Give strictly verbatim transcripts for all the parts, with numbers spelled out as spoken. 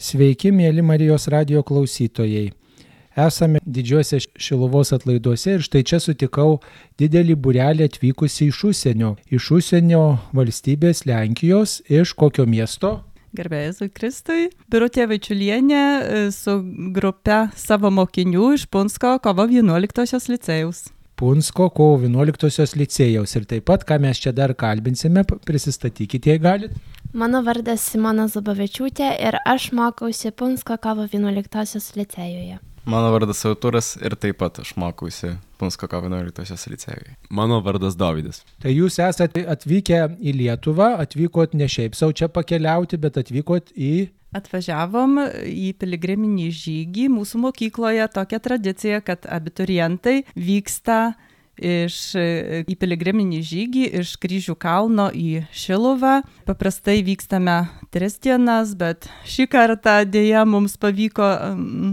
Sveiki, mėly Marijos radijo klausytojai. Esame didžiuose Šiluvos atlaiduose ir štai čia sutikau didelį būrelį atvykusį iš užsienio. Iš užsienio valstybės Lenkijos, iš kokio miesto? Garbė Jėzui Kristui. Birutė Vaičiulienė su grupe savo mokinių iš Punsko kovo vienuoliktosios licėjaus. Punsko kovo vienuoliktosios licėjaus. Ir taip pat, ką mes čia dar kalbinsime, prisistatykite, jei galit. Mano vardas Simona Zubavičiūtė ir aš mokausi Punsko kovo vienuoliktosios licėjuje. Mano vardas Artūras ir taip pat aš mokausi Punsko kovo vienuoliktosios licėjuje. Mano vardas Dovydas. Tai jūs esate atvykę į Lietuvą, atvykot ne šiaip sau čia pakeliauti, bet atvykot į... Atvažiavom į piligriminį žygį. Mūsų mokykloje tokia tradicija, kad abiturientai vyksta iš, į piligriminį žygį iš Kryžių kalno į Šiluvą. Paprastai vykstame tris dienas, bet šį kartą dėja mums pavyko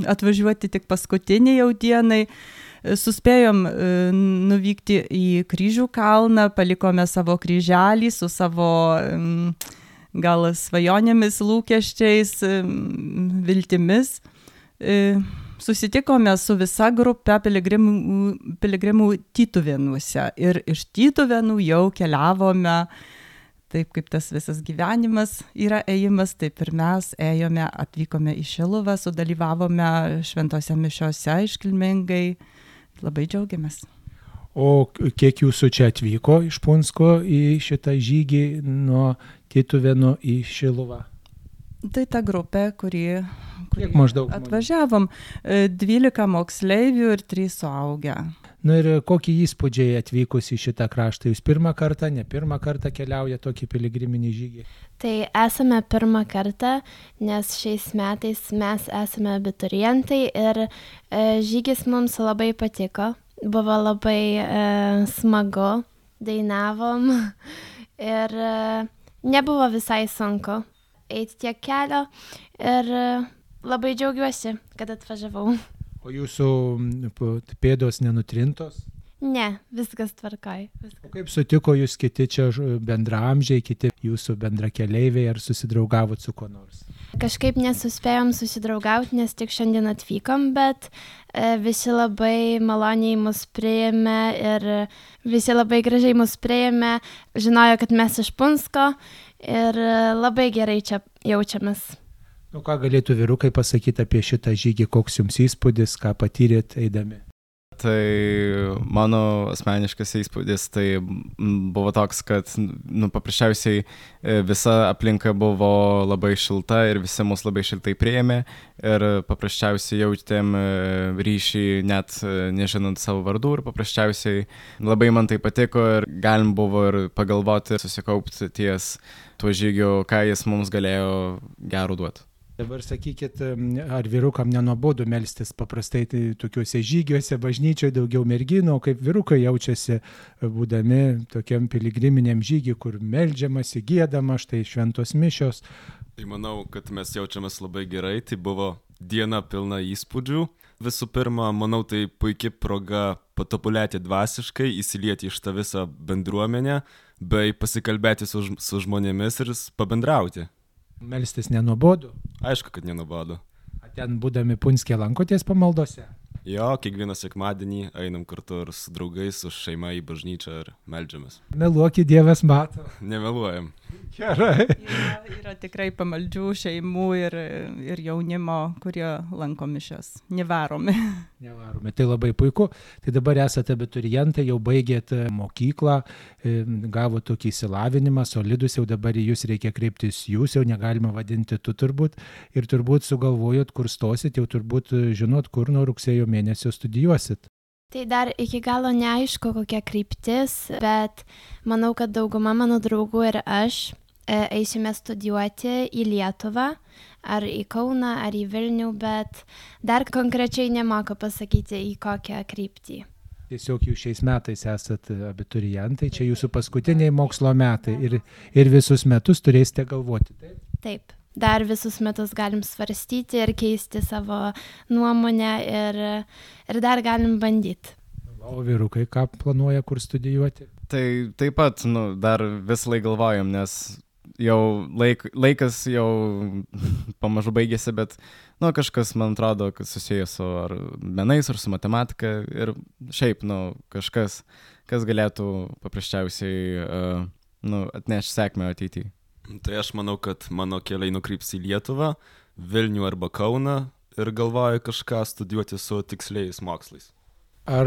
atvažiuoti tik paskutinį jau dienai. Suspėjom nuvykti į Kryžių kalną, palikome savo kryželį su savo gal svajonėmis, lūkesčiais, viltimis. Susitikome su visa grupe piligrimų, piligrimų Tytuvėnuose ir iš Tytuvėnų jau keliavome, taip kaip tas visas gyvenimas yra ėjimas, taip ir mes ėjome, atvykome į Šiluvą, sudalyvavome šventose mišiose iškilmingai, labai džiaugiamės. O kiek jūsų čia atvyko iš Punsko į šitą žygį nuo Tytuvėnų į Šiluvą? Tai ta grupė, kuri, kuri atvažiavom. dvylika moksleivių ir trys suaugę. Na ir kokie įspūdžiai atvykus į šitą kraštą? Jūs pirmą kartą, ne pirmą kartą keliauja tokį piligriminį žygį? Tai esame pirmą kartą, nes šiais metais mes esame abiturientai ir e, žygis mums labai patiko. Buvo labai e, smagu, dainavom ir e, nebuvo visai sunku eiti tiek kelio ir labai džiaugiuosi, kad atvažiavau. O jūsų pėdos nenutrintos? Ne, viskas tvarkoj. Viskas. O kaip sutiko jūs kiti čia bendraamžiai, kiti jūsų bendrakeleiviai, ar susidraugavot su kuo nors? Kažkaip nesuspėjom susidraugauti, nes tik šiandien atvykom, bet e, visi labai maloniai mus priėmė ir visi labai gražiai mus priėmė, žinojo, kad mes iš Punsko ir labai gerai čia jaučiamės. Nu, ką galėtų vyrukai pasakyti apie šitą žygį, koks jums įspūdis, ką patyrėt eidami? Tai mano asmeniškas įspūdis tai buvo toks, kad nu, paprasčiausiai visa aplinka buvo labai šilta ir visi mus labai šiltai priėmė ir paprasčiausiai jautėm ryšį net nežinant savo vardų ir paprasčiausiai labai man tai patiko ir galim buvo ir pagalvoti ir susikaupti ties tuo žygiu, ką jis mums galėjo gero duoti. Dabar sakykit, ar vyrukam nenuobodu melstis paprastai tai tokiuose žygiuose, bažnyčioje daugiau merginų, o kaip vyrukai jaučiasi būdami tokiam piligriminiam žygiui, kur meldžiamasi, giedama, štai šventos mišios. Tai manau, kad mes jaučiamės labai gerai, tai buvo diena pilna įspūdžių. Visų pirma, manau, tai puikia proga patobulėti dvasiškai, įsilieti iš tą visą bendruomenę, bei pasikalbėti su, su žmonėmis ir pabendrauti. Melstis nenuobodu? Aišku, kad nenuobodu. Ten būdami Punske lankotės pamaldose? Jo, kiekvieną sekmadienį einam kartu ir su draugais, su šeima į bažnyčią ir meldžiamės. Meluokit, Dievas mato. Nemeluojam. Gerai. Yra, yra tikrai pamaldžių šeimų ir, ir jaunimo, kurie lanko mišias. Nevaromi. Nevaromi. Tai labai puiku. Tai dabar esate abiturientai, jau baigėt mokyklą, gavo tokį išsilavinimą, solidus, jau dabar į jūs reikia kreiptis jūs, jau negalima vadinti tu turbūt. Ir turbūt sugalvojot, kur stosit, jau turbūt žinot, kur nuo rugsėjo mėnesio studijuosit. Tai dar iki galo neaišku, kokia kryptis, bet manau, kad dauguma mano draugų ir aš e, eisime studijuoti į Lietuvą, ar į Kauną, ar į Vilnių, bet dar konkrečiai nemoku pasakyti, į kokią kryptį. Tiesiog jūs šiais metais esat abiturientai, čia jūsų paskutiniai mokslo metai ir, ir visus metus turėsite galvoti, taip? Taip. Dar visus metus galim svarstyti ir keisti savo nuomonę ir, ir dar galim bandyti. O vyrukai, ką planuoja, kur studijuoti? Tai taip pat, nu, dar vis laik galvojam, nes jau laik, laikas jau pamažu baigėsi, bet nu, kažkas, man atrodo, kad susijęs su ar menais, ar su matematika ir šiaip, nu, kažkas, kas galėtų paprasčiausiai uh, nu, atnešti sėkmę ateityje. Tai aš manau, kad mano keliai nukryps į Lietuvą, Vilnių arba Kauną ir galvoju kažką studijuoti su tiksliais mokslais. Ar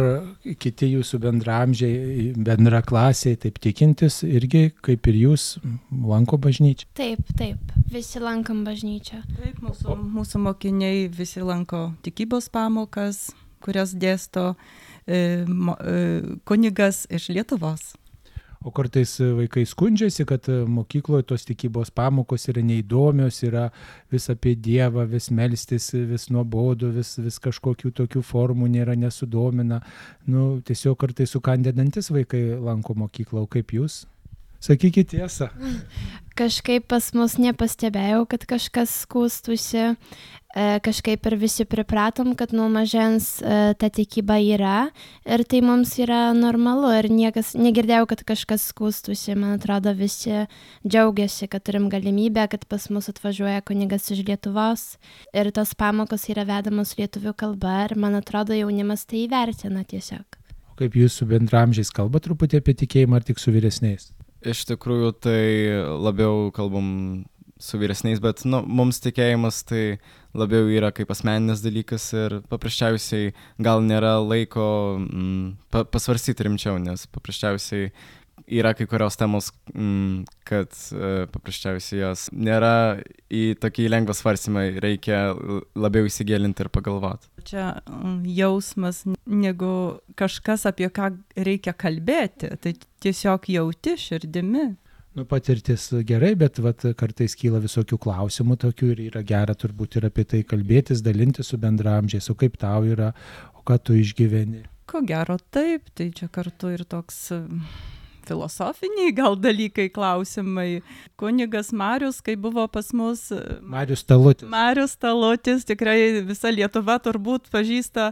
kiti jūsų bendramžiai, bendraklasiai, taip tikintis, irgi kaip ir jūs lanko bažnyčią? Taip, taip, visi lankom bažnyčią. Taip, mūsų, mūsų mokiniai visi lanko tikybos pamokas, kurias dėsto e, mo, e, kunigas iš Lietuvos. O kartais vaikai skundžiasi, kad mokykloje tos tikybos pamokos yra neįdomios, yra vis apie Dievą, vis melstis, vis nuobodu, vis, vis kažkokių tokių formų nėra, nesudomina. Nu, tiesiog kartais sukandėdantis vaikai lanko mokyklą, o kaip jūs? Sakykit tiesą. Kažkaip pas mus nepastebėjau, kad kažkas skųstusi. Kažkaip ir visi pripratom, kad nuo mažens ta tikyba yra ir tai mums yra normalu ir niekas, negirdėjau, kad kažkas skųstusi. Man atrodo, visi džiaugiasi, kad turim galimybę, kad pas mus atvažiuoja kunigas iš Lietuvos ir tos pamokos yra vedamos lietuvių kalba ir man atrodo, jaunimas tai įvertina tiesiog. O kaip jūs su bendramžiais kalba truputį apie tikėjimą ar tik su vyresniais? Iš tikrųjų, tai labiau kalbam su vyresniais, bet nu, mums tikėjimas tai labiau yra kaip asmeninis dalykas ir paprasčiausiai gal nėra laiko mm, pa, pasvarstyti rimčiau, nes paprasčiausiai yra kai kurios temos, mm, kad e, paprasčiausiai jos nėra į tokį lengvą svarstymą, reikia labiau įsigilinti ir pagalvoti. Čia jausmas negu kažkas, apie ką reikia kalbėti, tai tiesiog jauti širdimi. Nu, patirtis gerai, bet vat, kartais kyla visokių klausimų tokių ir yra gera turbūt ir apie tai kalbėtis, dalinti su bendramžiais, o kaip tau yra, o ką tu išgyveni. Ko gero taip, tai čia kartu ir toks filosofiniai gal dalykai, klausimai. Kunigas Marius, kai buvo pas mus... Marius Talutis. Marius Talutis, tikrai visa Lietuva turbūt pažįsta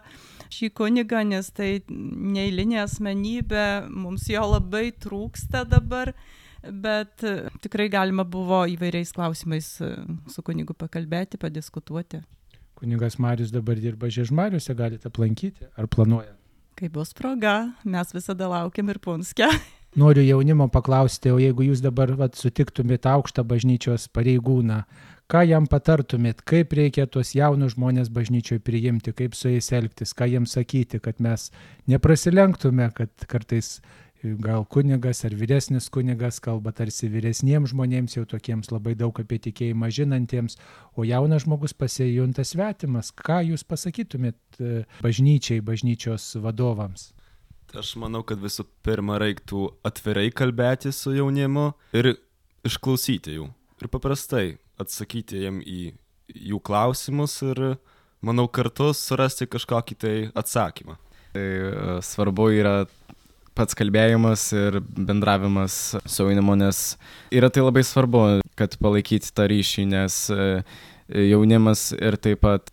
šį kunigą, nes tai neeilinė asmenybė, mums jo labai trūksta dabar. Bet tikrai galima buvo įvairiais klausimais su kunigu pakalbėti, padiskutuoti. Kunigas Marius dabar dirba Žiežmariuose, galite aplankyti ar planuoja? Kai bus proga, mes visada laukiam ir Punske. Noriu jaunimo paklausti, o jeigu jūs dabar vat, sutiktumėt aukštą bažnyčios pareigūną, ką jam patartumėt, kaip reikia tuos jaunus žmonės bažnyčioje priimti, kaip su jais elgtis, ką jiems sakyti, kad mes neprasilenktume, kad kartais gal kunigas ar vyresnis kunigas kalba tarsi vyresniems žmonėms, jau tokiems labai daug apie tikėjimą žinantiems, o jaunas žmogus pasijunta svetimas. Ką jūs pasakytumėt bažnyčiai, bažnyčios vadovams? Aš manau, kad visų pirma reiktų atvirai kalbėti su jaunimu ir išklausyti jų. Ir paprastai atsakyti jiem į jų klausimus ir, manau, kartu surasti kažkokį tai atsakymą. Tai svarbu yra pats kalbėjimas ir bendravimas su jaunimu, nes yra tai labai svarbu, kad palaikyti tą ryšį, nes jaunimas ir taip pat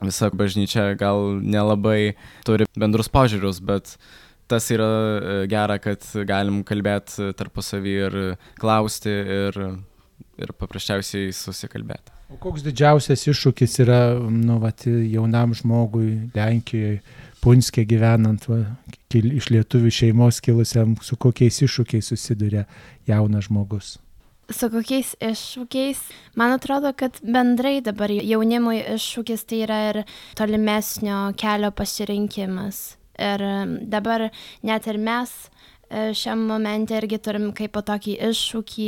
visa bažnyčia gal nelabai turi bendrus požiūrius, bet tas yra gera, kad galim kalbėti tarpusavy ir klausti ir, ir paprasčiausiai susikalbėti. O koks didžiausias iššūkis yra nu, vat, jaunam žmogui Lenkijoje, Punske gyvenant, va, iš lietuvių šeimos kilusiam, su kokiais iššūkiais susiduria jaunas žmogus? Su kokiais iššūkiais? Man atrodo, kad bendrai dabar jaunimui iššūkis tai yra ir tolimesnio kelio pasirinkimas. Ir dabar net ir mes šiam momente irgi turim kaip po tokį iššūkį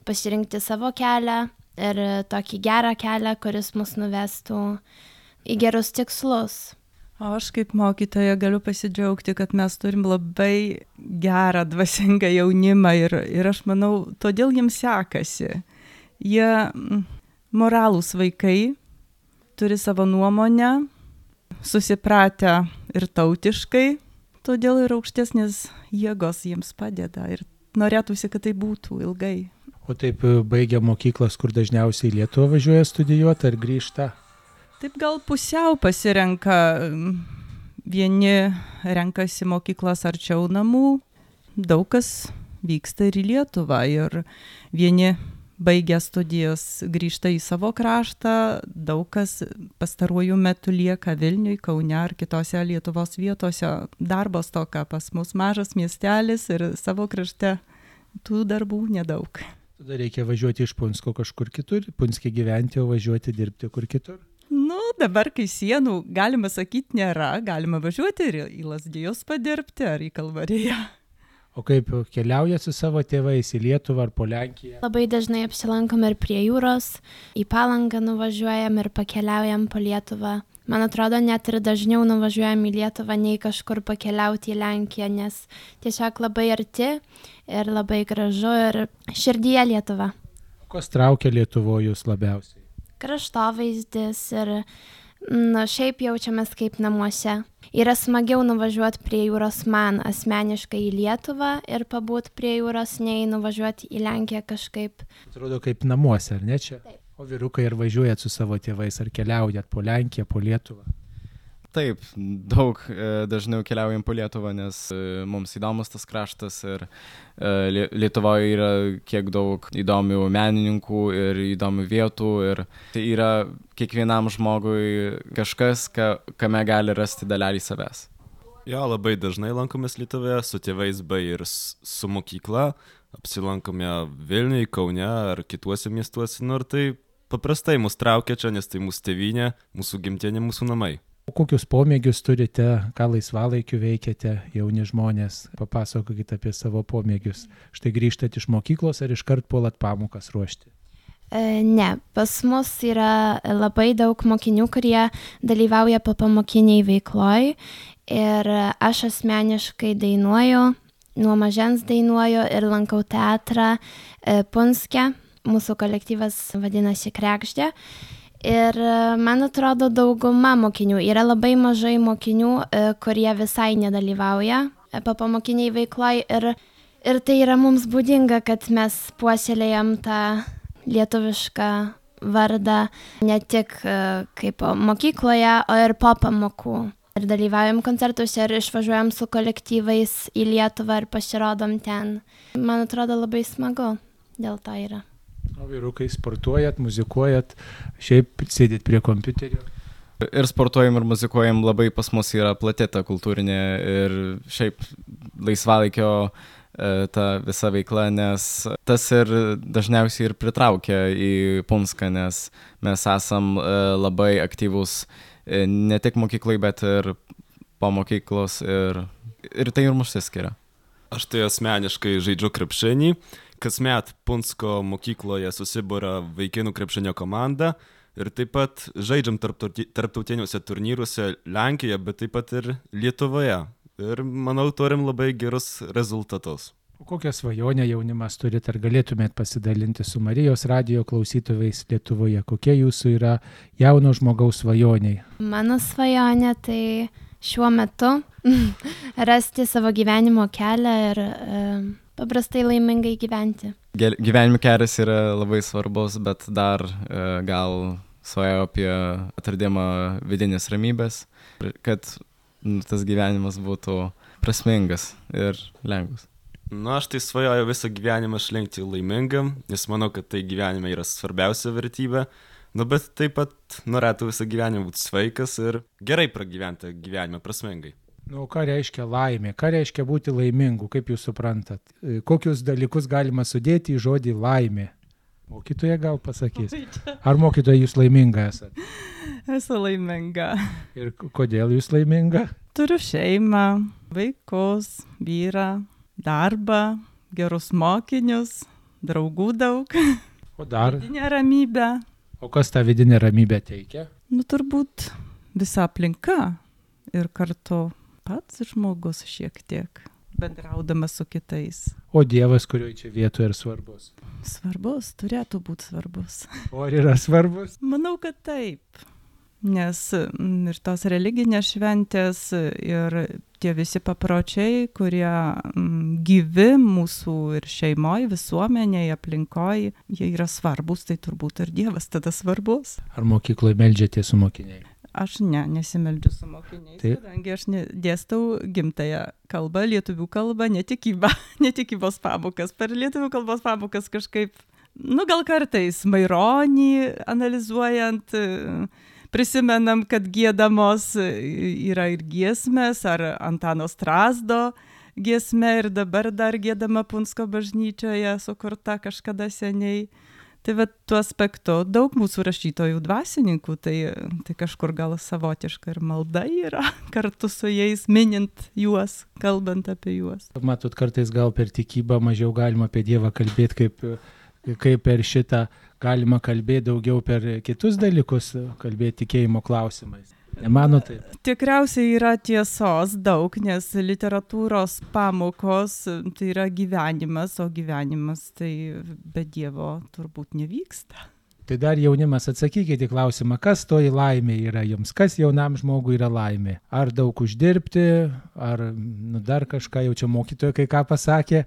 pasirinkti savo kelią ir tokį gerą kelią, kuris mus nuvestų į gerus tikslus. O aš kaip mokytoja galiu pasidžiaugti, kad mes turim labai gerą dvasingą jaunimą ir, ir aš manau, todėl jiems sekasi. Jie moralūs vaikai, turi savo nuomonę, susipratę ir tautiškai, todėl ir aukštesnės jėgos jiems padeda ir norėtųsi, kad tai būtų ilgai. O taip baigia mokyklas, kur dažniausiai į Lietuvą važiuoja studijuoti ar grįžta? Taip gal pusiau pasirenka, vieni renkasi mokyklas arčiau namų, daug kas vyksta ir į Lietuvą ir vieni baigę studijas grįžta į savo kraštą, daug kas pastaruoju metu lieka Vilniui, Kaune ar kitose Lietuvos vietose. Darbo stoka pas mus mažas miestelis ir savo krašte tų darbų nedaug. Tada reikia važiuoti iš Punsko kažkur kitur, Punske gyventi, o važiuoti dirbti kur kitur. Nu, dabar, kai sienų, galima sakyti, nėra, galima važiuoti ir į Lazdijus padirbti ar į Kalvariją. O kaip keliauja su savo tėvais į Lietuvą ar po Lenkiją? Labai dažnai apsilankom ir prie jūros, į Palangą nuvažiuojam ir pakeliaujam po Lietuvą. Man atrodo, net ir dažniau nuvažiuojam į Lietuvą, nei kažkur pakeliauti į Lenkiją, nes tiesiog labai arti ir labai gražu ir širdyje Lietuva. Kas traukia Lietuvoje jūs labiausiai? Kraštovaizdis ir nu, šiaip jaučiamės kaip namuose. Yra smagiau nuvažiuoti prie jūros man asmeniškai į Lietuvą ir pabūti prie jūros, nei nuvažiuoti į Lenkiją kažkaip. Atrodo kaip namuose, ar ne čia? Taip. O vyrukai ar važiuojat su savo tėvais, ar keliaujat po Lenkiją, po Lietuvą? Taip, daug dažniau keliaujam po Lietuvą, nes mums įdomus tas kraštas ir Lietuvoje yra kiek daug įdomių menininkų ir įdomių vietų ir tai yra kiekvienam žmogui kažkas, ka, kame gali rasti dalelį savęs. Jo, labai dažnai lankomės Lietuvoje su tėvais bei ir su mokykla, apsilankome Vilniuje, Kaune ar kituose miestuose, nu ir tai paprastai mus traukia čia, nes tai mūsų tėvynė, mūsų gimtinė, mūsų namai. O kokius pomėgius turite, ką laisvalaikiu veikiate, jauni žmonės? Papasakokite apie savo pomėgius. Štai grįžtat iš mokyklos ar iškart puolat pamokas ruošti? E, ne, pas mus yra labai daug mokinių, kurie dalyvauja popamokiniai veikloj ir aš asmeniškai dainuoju, nuo mažens dainuoju ir lankau teatrą e, Punske. Mūsų kolektyvas vadinasi Krekždė. Ir man atrodo, dauguma mokinių, yra labai mažai mokinių, kurie visai nedalyvauja popamokiniai veikloj ir, ir tai yra mums būdinga, kad mes puoselėjam tą lietuvišką vardą ne tik kaip mokykloje, o ir po pamokų. Ir dalyvaujam koncertuose ir išvažiuojam su kolektyvais į Lietuvą ir pasirodom ten. Man atrodo, labai smagu, dėl to yra. O vyrukai, sportuojat, muzikuojat, šiaip sėdit prie kompiuterio? Ir sportuojam, ir muzikuojam, labai pas mus yra plati ta kultūrinė ir šiaip laisvalaikio ta visa veikla, nes tas ir dažniausiai ir pritraukia į Punską, nes mes esam labai aktyvūs ne tik mokyklai, bet ir po mokyklos ir, ir tai ir mus skiria. Aš tai asmeniškai žaidžiu krepšinį. Kasmet Punsko mokykloje susibūria vaikinų krepšinio komanda ir taip pat žaidžiam tarptautiniuose turnyruose Lenkijoje, bet taip pat ir Lietuvoje. Ir manau, turim labai gerus rezultatus. O kokią svajonę jaunimas turit, ar galėtumėt pasidalinti su Marijos radijo klausytojais Lietuvoje? Kokie jūsų yra jauno žmogaus svajoniai? Mano svajonė tai šiuo metu rasti savo gyvenimo kelią ir e, paprastai laimingai gyventi. Gyvenimo kelias yra labai svarbus, bet dar e, gal svajoju apie atradimą vidinės ramybės, kad nu, tas gyvenimas būtų prasmingas ir lengvas. Nu, aš tai svajoju visą gyvenimą išlikti laimingam, nes manau, kad tai gyvenime yra svarbiausia vertybė. Nu, bet taip pat norėtų visą gyvenimą būti sveikas ir gerai pragyventi gyvenimą prasmingai. Nu, ką reiškia laimė? Ką reiškia būti laimingu? Kaip jūs suprantat? Kokius dalykus galima sudėti į žodį laimė? Mokytoja gal pasakys. Ar mokytoja jūs laiminga esat? Esu laiminga. Ir kodėl jūs laiminga? Turiu šeimą, vaikus, vyrą, darbą, gerus mokinius, draugų daug. O dar? Vidinė ramybė. O kas tą vidinę ramybę teikia? Nu, turbūt visa aplinka ir kartu pats žmogus šiek tiek bendraudamas su kitais. O Dievas, kurioje čia vietoje ir svarbus? Svarbus, turėtų būti svarbus. O ar yra svarbus? Manau, kad taip. Nes ir tos religinės šventės ir tie visi papročiai, kurie gyvi mūsų ir šeimoje, visuomenėje, aplinkoje, jie yra svarbus, tai turbūt ir Dievas tada svarbus. Ar mokykloje meldžiatės su mokiniai? Aš ne, nesimeldžiu su mokiniais, tai... kadangi aš ne, dėstau gimtąją kalbą, lietuvių kalbą, netikybą, netikybos pamokas. Per lietuvių kalbos pamokas kažkaip Nu, gal kartais Maironį analizuojant, prisimenam, kad giedamos yra ir giesmės, ar Antano Strazdo giesmė, ir dabar dar giedama Punsko bažnyčioje, sukurta kažkada seniai. Tai va, tuo aspektu daug mūsų rašytojų dvasininkų, tai, tai kažkur gal savotiška ir malda yra, kartu su jais minint juos, kalbant apie juos. Matot, kartais gal per tikybą mažiau galima apie Dievą kalbėti, kaip, kaip per šitą galima kalbėti daugiau per kitus dalykus, kalbėti tikėjimo klausimais. Nemano taip? Tikriausiai yra tiesos daug, nes literatūros pamokos tai yra gyvenimas, o gyvenimas tai be Dievo turbūt nevyksta. Tai dar jaunimas, atsakykite į klausimą, kas toji laimė yra jums, kas jaunam žmogui yra laimė? Ar daug uždirbti, ar nu, dar kažką, jau čia mokytoja kai ką pasakė,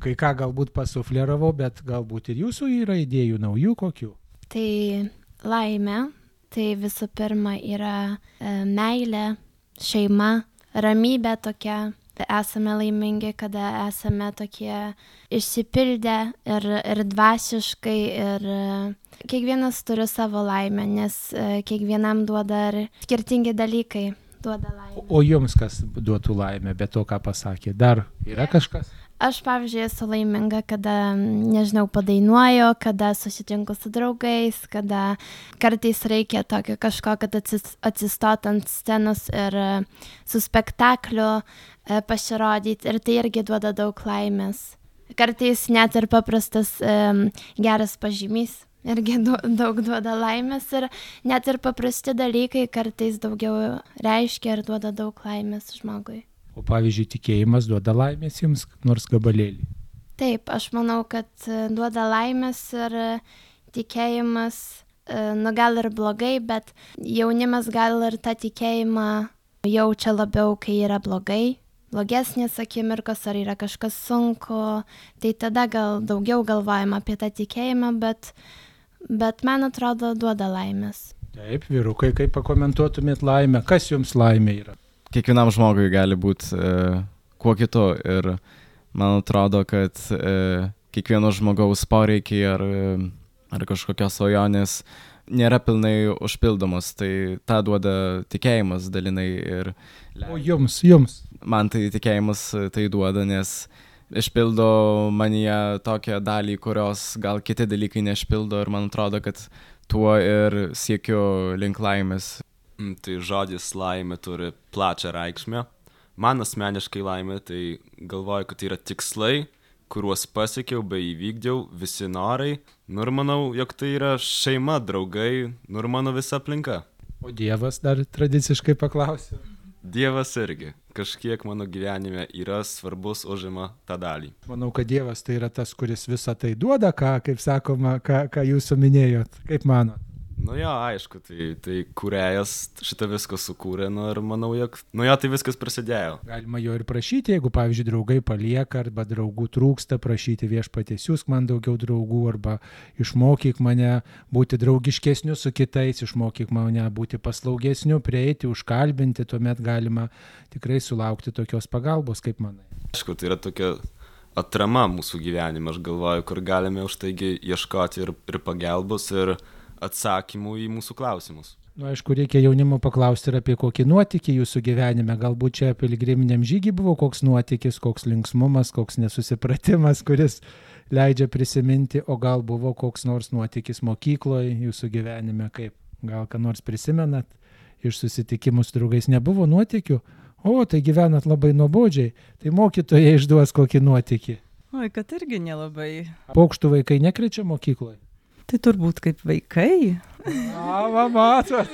kai ką galbūt pasufleravau, bet galbūt ir jūsų yra idėjų naujų kokių? Tai laimė. Tai visų pirma yra e, meilė, šeima, ramybė tokia. Esame laimingi, kada esame tokie išsipildę ir, ir dvasiškai. Ir e, kiekvienas turi savo laimę, nes e, kiekvienam duoda ir skirtingi dalykai duoda laimę. O jums kas duotų laimę, be to, ką pasakė? Dar yra kažkas? Aš, pavyzdžiui, esu laiminga, kada, nežinau, padainuoju, kada susitinku su draugais, kada kartais reikia tokio kažko, kad atsistot ant scenos ir su spektakliu pasirodyti. Ir tai irgi duoda daug laimės. Kartais net ir paprastas um, geras pažymys irgi du, daug duoda laimės. Ir net ir paprasti dalykai kartais daugiau reiškia ir duoda daug laimės žmogui. O pavyzdžiui, tikėjimas duoda laimės jums nors gabalėlį? Taip, aš manau, kad duoda laimės ir tikėjimas, nu gal ir blogai, bet jaunimas gal ir tą tikėjimą jaučia labiau, kai yra blogai, blogesnės akimirkos ar yra kažkas sunku, tai tada gal daugiau galvojama apie tą tikėjimą, bet, bet man atrodo duoda laimės. Taip, vyrukai, kaip pakomentuotumėt laimę, kas jums laimė yra? Kiekvienam žmogui gali būti e, kuo kitu ir man atrodo, kad e, kiekvieno žmogaus poreikiai ar, ar kažkokios svajonės nėra pilnai užpildomos, tai tą duoda tikėjimas dalinai. Ir o jums, jums? Man tai tikėjimas tai duoda, nes išpildo manyje tokią dalį, kurios gal kiti dalykai neišpildo ir man atrodo, kad tuo ir siekiu link laimės. Tai žodis laimė turi plačią reikšmę. Man asmeniškai laimė, tai galvoju, kad tai yra tikslai, kuriuos pasiekiau bei įvykdžiau, visi norai. Nu ir manau, jog tai yra šeima, draugai, nu ir mano visa aplinka. O Dievas dar tradiciškai paklausė? Dievas irgi. Kažkiek mano gyvenime yra svarbus, užima tą dalį. Manau, kad Dievas tai yra tas, kuris visą tai duoda, ką, kaip sakoma, ką, ką jūs minėjot. Kaip manot? Nu jo, aišku, tai, tai kūrėjas šitą viską sukūrė, nu ir manau, jog nu jo, tai viskas prasidėjo. Galima jo ir prašyti, jeigu, pavyzdžiui, draugai palieka arba draugų trūksta, prašyti Viešpaties, siųsk man daugiau draugų arba išmokyk mane būti draugiškesniu su kitais, išmokyk mane būti paslaugesniu, prieiti, užkalbinti, tuomet galima tikrai sulaukti tokios pagalbos, kaip manai. Aišku, tai yra tokia atrama mūsų gyvenime, aš galvoju, kur galime už taigi ieškoti ir, ir pagalbos, ir atsakymų į mūsų klausimus. Nu, aišku, reikia jaunimo paklausti ir apie kokį nuotykį jūsų gyvenime. Galbūt čia piligriminiam žygiui buvo koks nuotykis, koks linksmumas, koks nesusipratimas, kuris leidžia prisiminti, o gal buvo koks nors nuotykis mokykloje jūsų gyvenime, kaip gal ką nors prisimenat iš susitikimų su draugais. Nebuvo nuotykių? O, tai gyvenat labai nuobodžiai. Tai mokytojai išduos kokį nuotykį. Oi, kad irgi nelabai. Paukštų vaikai nekrečia mokykloje? Tai turbūt kaip vaikai. A, va, matot.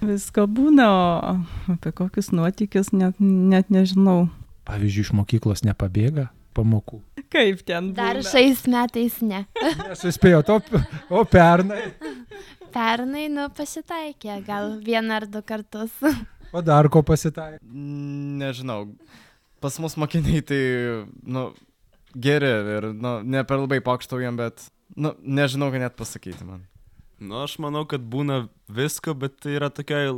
Visko būna, o apie kokius nuotykius net, net nežinau. Pavyzdžiui, iš mokyklos nepabėga pamokų. Kaip ten būna? Dar šiais metais ne. Nesuspėjot, o, o pernai? Pernai, nu, pasitaikė, gal vieną ar du kartus. O dar ko pasitaikė? Nežinau, pas mus mokiniai tai, nu, geri ir, nu, ne per labai pokštaujam, bet... Nu, nežinau, ką net pasakyti man. Nu, aš manau, kad būna visko, bet tai yra tokia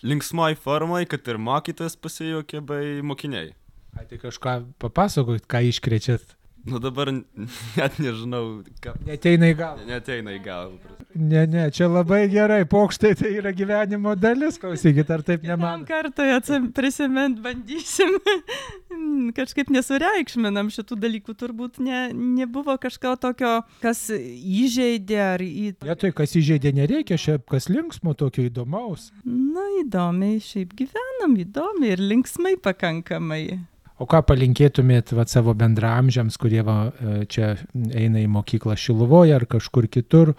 linksmoj formai, kad ir mokytojas pasijuokė bei mokiniai. Ai, tai kažką papasakot, ką iškrečiat? Nu dabar net nežinau, ką. Neteina į galvą. Neteina į galvą. Ne, ne, čia labai gerai, pokštai tai yra gyvenimo dalis, klausykit, ar taip Kitam nemanot? kartoje prisimint bandysim, kažkaip nesureikšminam šitų dalykų, turbūt ne, nebuvo kažko tokio, kas įžeidė ar į... Vietoj, kas įžeidė, nereikia, šiaip kas linksmo, tokio įdomaus. Na, įdomiai, šiaip gyvenam, įdomiai ir linksmai pakankamai. O ką palinkėtumėt vat, savo bendraamžiams, kurie va, čia eina į mokyklą Šiluvoje ar kažkur kitur,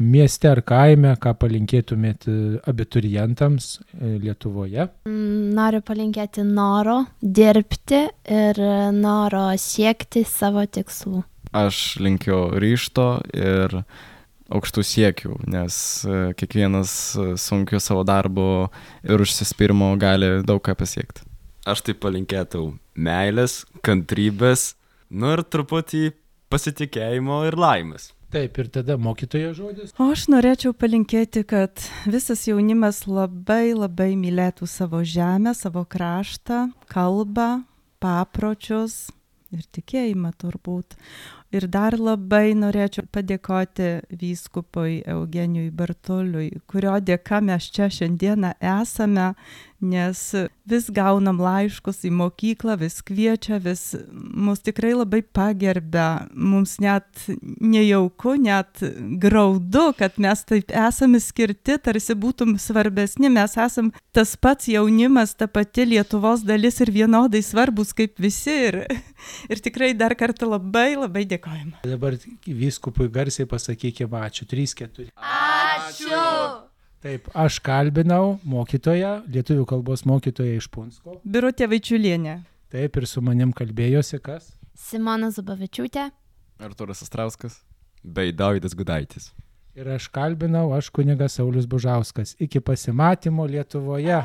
mieste ar kaime, ką palinkėtumėt abiturientams Lietuvoje? Noriu palinkėti noro dirbti ir noro siekti savo tikslų. Aš linkiu ryžto ir aukštų siekių, nes kiekvienas sunkiu savo darbu ir užsispyrimo gali daug ką pasiekti. Aš tai palinkėtau meilės, kantrybės, nu ir truputį pasitikėjimo ir laimės. Taip, ir tada mokytojo žodis. O aš norėčiau palinkėti, kad visas jaunimas labai labai mylėtų savo žemę, savo kraštą, kalbą, papročius ir tikėjimą turbūt. Ir dar labai norėčiau padėkoti vyskupui Eugenijui Bartuliui, kurio dėka mes čia šiandieną esame, nes vis gaunam laiškus į mokyklą, vis kviečia, vis mus tikrai labai pagerbia, mums net nejauku, net graudu, kad mes taip esame skirti, tarsi būtum svarbesni, mes esam tas pats jaunimas, ta pati Lietuvos dalis ir vienodai svarbus kaip visi ir, ir tikrai dar kartą labai labai dėkojame. Dabar vyskupui garsiai pasakykime ačiū. trys, keturi. Ačiū! Taip, aš kalbinau mokytoją, lietuvių kalbos mokytoją iš Punsko. Birutė Vaičiulienė. Taip, ir su manim kalbėjosi kas? Simona Zubavičiūtė. Artūras Astrauskas. Bei Davidas Gudaitis. Ir aš kalbinau, aš kunigas Saulius Bužauskas. Iki pasimatymo Lietuvoje.